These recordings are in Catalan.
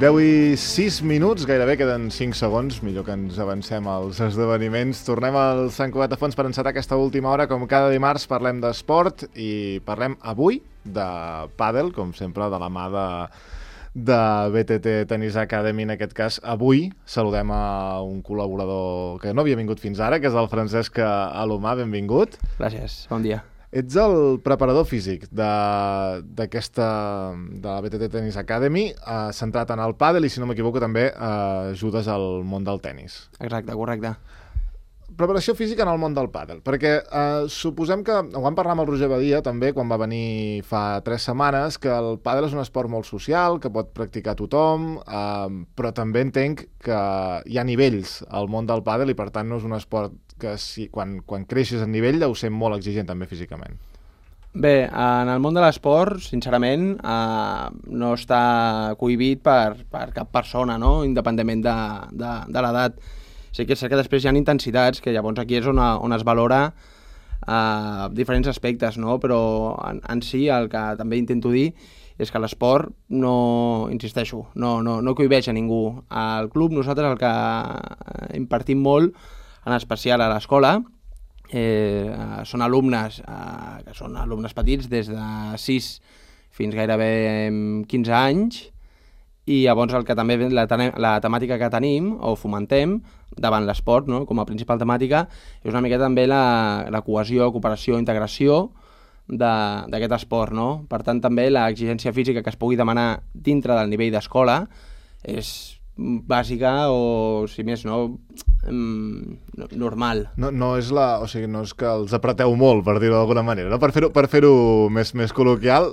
10:06, gairebé queden 5 segons, millor que ens avancem als esdeveniments. Tornem al Sant Cugat de Fons per encetar aquesta última hora. Com cada dimarts parlem d'esport i parlem avui de pàdel, com sempre, de la mà de BTT Tennis Academy. En aquest cas, avui saludem a un col·laborador que no havia vingut fins ara, que és el Francesc Alomà. Benvingut. Gràcies, bon dia. Ets el preparador físic de la BTT Tennis Academy, centrat en el pàdel i, si no m'equivoco, també ajudes al món del tennis. Exacte, correcte. Preparació física en el món del pàdel, perquè suposem que, ho vam parlar amb el Roger Badia també quan va venir fa 3 setmanes, que el pàdel és un esport molt social, que pot practicar tothom, però també entenc que hi ha nivells al món del pàdel i per tant no és un esport que quan creixes en nivell deu ser molt exigent també físicament. Bé, en el món de l'esport, sincerament, no està cohibit per cap persona, no? Independentment de l'edat. Sí que és cert que després hi ha intensitats, que llavors aquí és on es valora diferents aspectes, no? Però en si el que també intento dir és que l'esport no, insisteixo, no cohibeix a ningú. Al club nosaltres el que impartim molt, en especial a l'escola, són alumnes que són alumnes petits des de 6 fins gairebé 15 anys, i llavors el que també la temàtica que tenim o fomentem davant l'esport, no? Com a principal temàtica, és una mica també la cohesió, cooperació, integració d'aquest esport, no? Per tant, també l'exigència física que es pugui demanar dintre del nivell d'escola és bàsica o, si més no, normal. No és no és que els apreteu molt, per dir-ho d'alguna manera, no? Per fer-ho més col·loquial,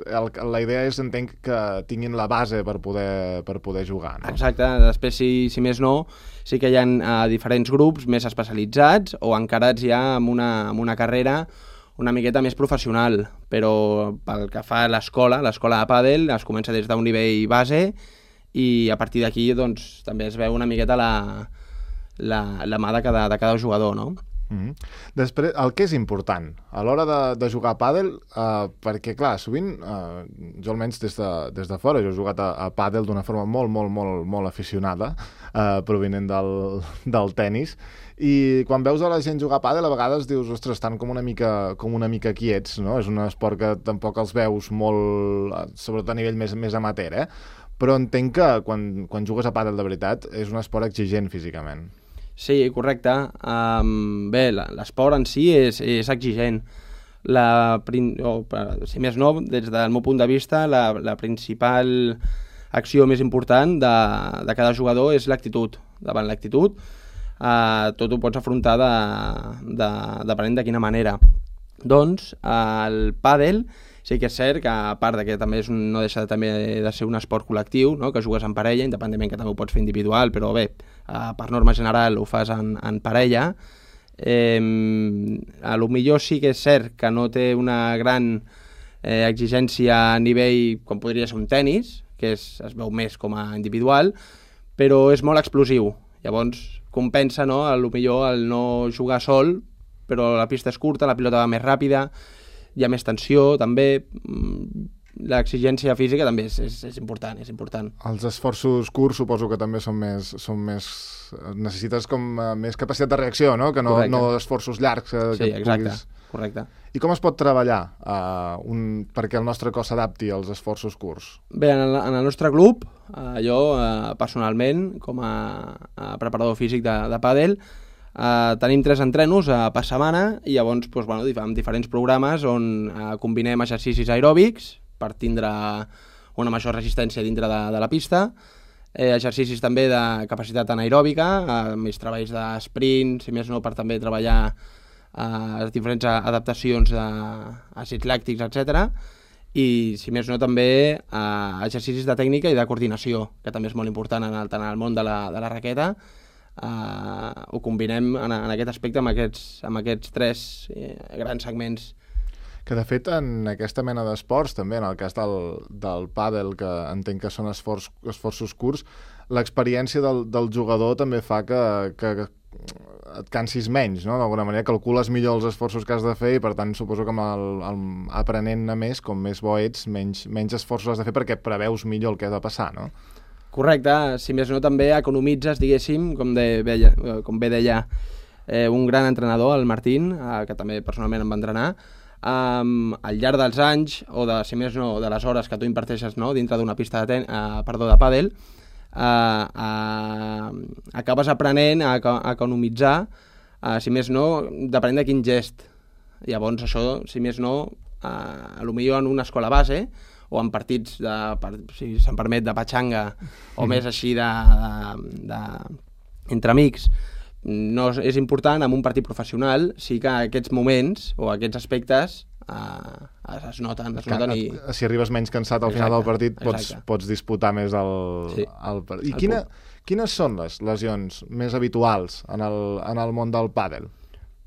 la idea és, entenc, que tinguin la base per poder jugar, no? Exacte, després, si més no, sí que hi ha diferents grups més especialitzats o encarats ja amb una carrera una miqueta més professional, però pel que fa a l'escola de pàdel es comença des d'un nivell base i a partir d'aquí doncs, també es veu una miqueta la mà de cada jugador, no? Després, el que és important a l'hora de jugar a pàdel, perquè clar, sovint jo almenys des de fora, jo he jugat a pàdel d'una forma molt aficionada, provinent del tennis, i quan veus a la gent jugar a pàdel a vegades dius, ostres, estan com una mica quiets, no? És un esport que tampoc els veus molt, sobretot a nivell més amateur, però entenc que quan jugues a pàdel de veritat és un esport exigent físicament. Sí, correcte. Bé, l'esport en si és exigent. Si més no, des del meu punt de vista, la principal acció més important de cada jugador és l'actitud. Davant l'actitud, tot ho pots afrontar depenent de quina manera. Doncs, el pàdel sí que és cert que, a part que també no deixa també de ser un esport col·lectiu, no? Que jugues en parella, independentment que també ho pots fer individual, però bé, per norma general ho fas en parella. A lo millor sí que és cert que no té una gran exigència a nivell com podria ser un tennis, que es veu més com a individual, però és molt explosiu. Llavors compensa, no? A lo millor el no jugar sol, però la pista és curta, la pilota va més ràpida, hi ha més tensió, també l'exigència física també és important, és important. Els esforços curts suposo que també són més necessites com més capacitat de reacció, no? Que no esforços llargs. Sí, exacte, correcte. I com es pot treballar perquè el nostre cos s'adapti als esforços curts? Bé, en el nostre club, jo personalment, com a preparador físic de pàdel, tenim 3 entrenos per setmana i llavors amb diferents programes on combinem exercicis aeròbics per tindre una major resistència dintre de la pista, exercicis també de capacitat anaeròbica, més treballs d'esprint, si més no per també treballar diferents adaptacions d'àcids làctics, etc. I si més no també exercicis de tècnica i de coordinació, que també és molt important en el món de la raqueta. Ho combinem en aquest aspecte amb aquests 3 grans segments. Que de fet en aquesta mena d'esports, també en el cas del pàdel, que entenc que són esforços curts, l'experiència del jugador també fa que et cansis menys, no? D'alguna manera calcules millor els esforços que has de fer i per tant suposo que aprenent-ne més, com més bo ets, menys esforços has de fer perquè preveus millor el que ha de passar, no? Correcte, si més no també economitzes, diguéssim, com bé deia un gran entrenador, el Martín, que també personalment em va entrenar, al llarg dels anys, o de, si més no, de les hores que tu imparteixes, no, dintre d'una pista de pàdel, acabes aprenent a economitzar, si més no, depenent de quin gest. Llavors això, si més no, potser en una escola base, o en partits, si se'm permet, de patxanga, o més així entre amics, no és important. En un partit professional sí que aquests moments o aquests aspectes es noten i... Si arribes menys cansat al final del partit pots disputar més el partit. I quines són les lesions més habituals en el món del pàdel?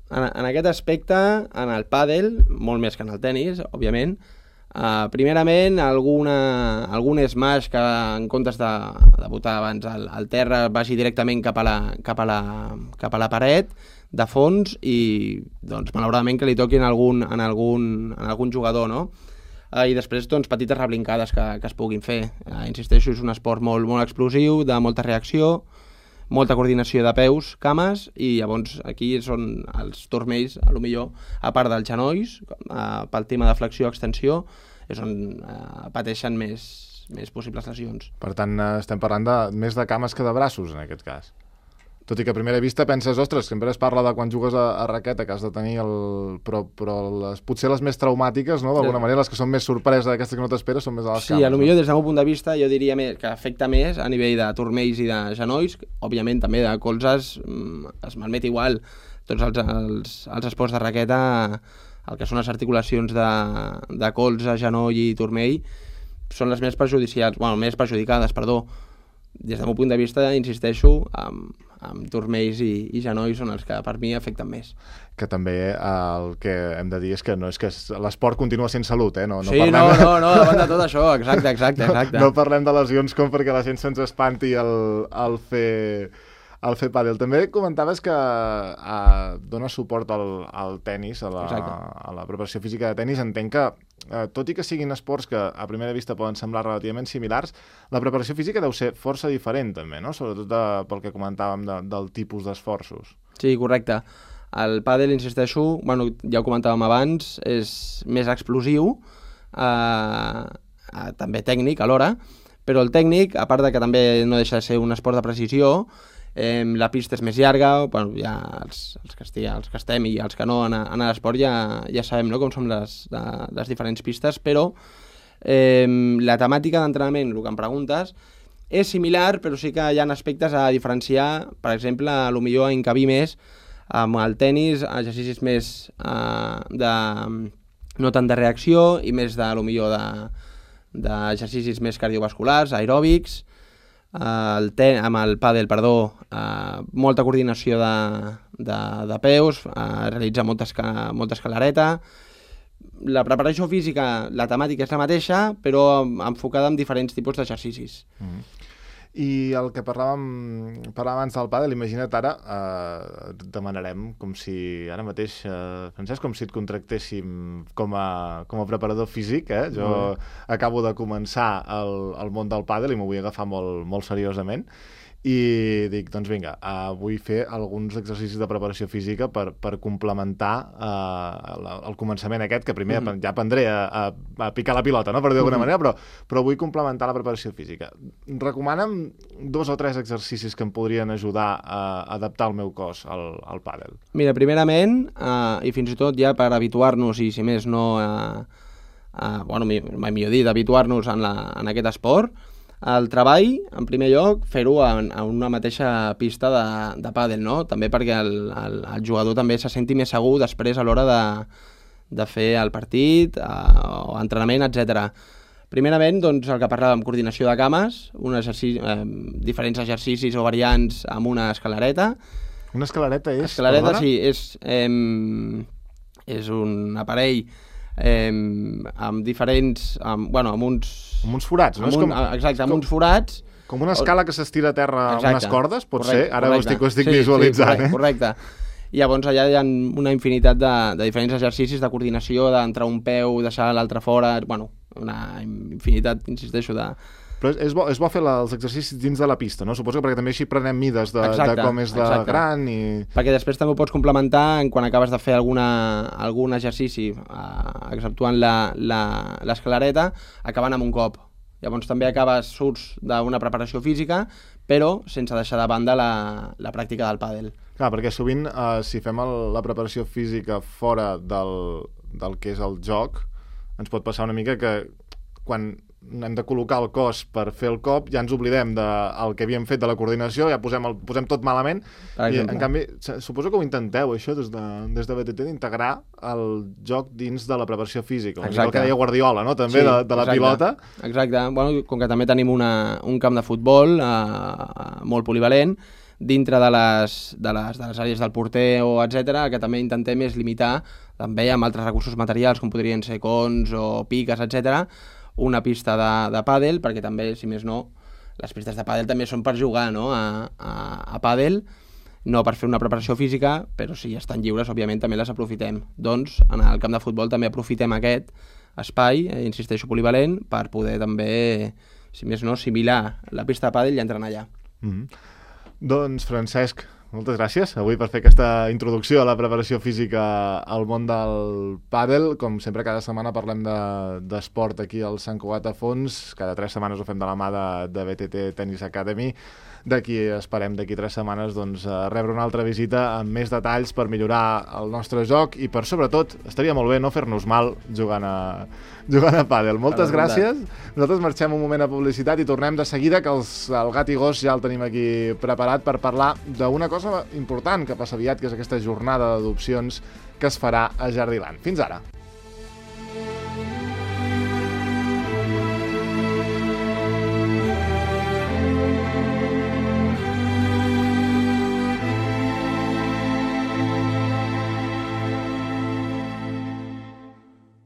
En aquest aspecte, en el pàdel, molt més que en el tenis, òbviament, primerament algun smash que en comptes de botar abans al terra vagi directament cap a la paret de fons i doncs malauradament que li toquin en algun jugador, no? I després doncs petites reblincades que es puguin fer. Insisteixo, és un esport molt, molt explosiu, de molta reacció, molta coordinació de peus, cames, i llavors aquí són els turmells, potser a part dels genolls, pel tema de flexió-extensió, és on pateixen més possibles lesions. Per tant, estem parlant més de cames que de braços, en aquest cas. Tot i que a primera vista penses, ostres, sempre es parla de quan jugues a raqueta, que has de tenir però potser les més traumàtiques, no? D'alguna manera, les que són més sorpresa d'aquestes que no t'esperes són més a les cames. Sí, potser des del meu punt de vista jo diria que afecta més a nivell de turmells i de genolls, òbviament també de colzes es malmet igual. Tots els esports de raqueta, el que són les articulacions de colze, genoll i turmell, són les més perjudicades. Des del meu punt de vista, insisteixo, amb turmells i genolls són els que per mi afecten més. Que també el que hem de dir és que no és que l'esport continua sent salut, eh? No, davant de tot això, exacte. No parlem de lesions com perquè la gent se'ns espanti al fer pàdel. També comentaves que dones suport al tenis, a la preparació física de tenis. Entenc que, tot i que siguin esports que a primera vista poden semblar relativament similars, la preparació física deu ser força diferent també, no? Sobretot pel que comentàvem del tipus d'esforços. Sí, correcte. El pàdel, insisteixo, ja ho comentàvem abans, és més explosiu, també tècnic alhora, però el tècnic, a part de que també no deixa de ser un esport de precisió, la pista és més llarga, ja els que estem i els que no en l'esport ja sabem, no?, com són les diferents pistes, però la temàtica d'entrenament, el que em preguntes, és similar, però sí que hi ha aspectes a diferenciar. Per exemple, potser a encabir més amb el tenis, exercicis més no tant de reacció i més d'exercicis més cardiovasculars, aeròbics. Amb el pàdel, molta coordinació de peus, realitzar molta escalareta. La preparació física, la temàtica és la mateixa, però enfocada en diferents tipus d'exercicis. I el que parlàvem abans del pàdel, imagina't ara, demanarem com si ara mateix, Francesc, com si et contractéssim com a preparador físic, eh? Jo acabo de començar el món del pàdel i m'ho vull agafar molt, molt seriosament. I dic, doncs vinga, vull fer alguns exercicis de preparació física per complementar el començament aquest, que primer ja aprendré a picar la pilota, no?, per dir d'alguna manera, però vull complementar la preparació física. Recomana'm 2 o 3 exercicis que em podrien ajudar a adaptar el meu cos al pàdel. Mira, primerament, i fins i tot ja per habituar-nos, i si més no, mai millor dit, habituar-nos en aquest esport, el treball, en primer lloc, fer-ho en una mateixa pista de pàdel, no? També perquè el jugador també se senti més segur després a l'hora de fer el partit o entrenament, etc. Primerament, doncs, el que parlàvem, coordinació de cames, diferents exercicis o variants amb una escalareta. Una escalareta és? Escalareta, sí, és un aparell amb diferents... amb uns forats, no? Exacte, amb uns forats. Com una escala que s'estira a terra amb unes cordes, pot ser? Ara ho estic visualitzant. Sí, correcte. I llavors allà hi ha una infinitat de diferents exercicis de coordinació, d'entrar un peu, deixar l'altre fora, una infinitat, insisteixo, Però és bo fer els exercicis dins de la pista, no? Suposo que perquè també així prenem mides de com és de gran i... Perquè després també ho pots complementar quan acabes de fer algun exercici, exceptuant l'escalareta, acabant amb un cop. Llavors també surts d'una preparació física, però sense deixar de banda la pràctica del pàdel. Clar, perquè sovint si fem la preparació física fora del que és el joc, ens pot passar una mica que quan hem de col·locar el cos per fer el cop, ja ens oblidem del que havíem fet de la coordinació, ja posem tot malament, i en canvi, suposo que ho intenteu, això, des de BTT, d'integrar el joc dins de la preparació física, el que deia Guardiola, no?, també, sí, de la pilota. Exacte, bueno, com que també tenim un camp de futbol molt polivalent, dintre de les àrees del porter o etc, el que també intentem és limitar també amb altres recursos materials com podrien ser cons o piques, etc, una pista de pàdel, perquè també, si més no, les pistes de pàdel també són per jugar, no?, a pàdel, no per fer una preparació física, però si estan lliures, òbviament, també les aprofitem. Doncs, en el camp de futbol també aprofitem aquest espai, insisteixo, polivalent, per poder també, si més no, assimilar la pista de pàdel i entrar allà. Doncs, Francesc, moltes gràcies avui per fer aquesta introducció a la preparació física al món del pàdel. Com sempre, cada setmana parlem d'esport aquí al Sant Cugat a Fons. Cada 3 setmanes ho fem de la mà de BTT Tennis Academy. Esperem d'aquí 3 setmanes rebre una altra visita amb més detalls per millorar el nostre joc i per, sobretot, estaria molt bé no fer-nos mal jugant a pàdel. Moltes gràcies. Nosaltres marxem un moment a publicitat i tornem de seguida, que el gat i gos ja el tenim aquí preparat per parlar d'una cosa important que passa aviat, que és aquesta jornada d'adopcions que es farà a Jardiland. Fins ara.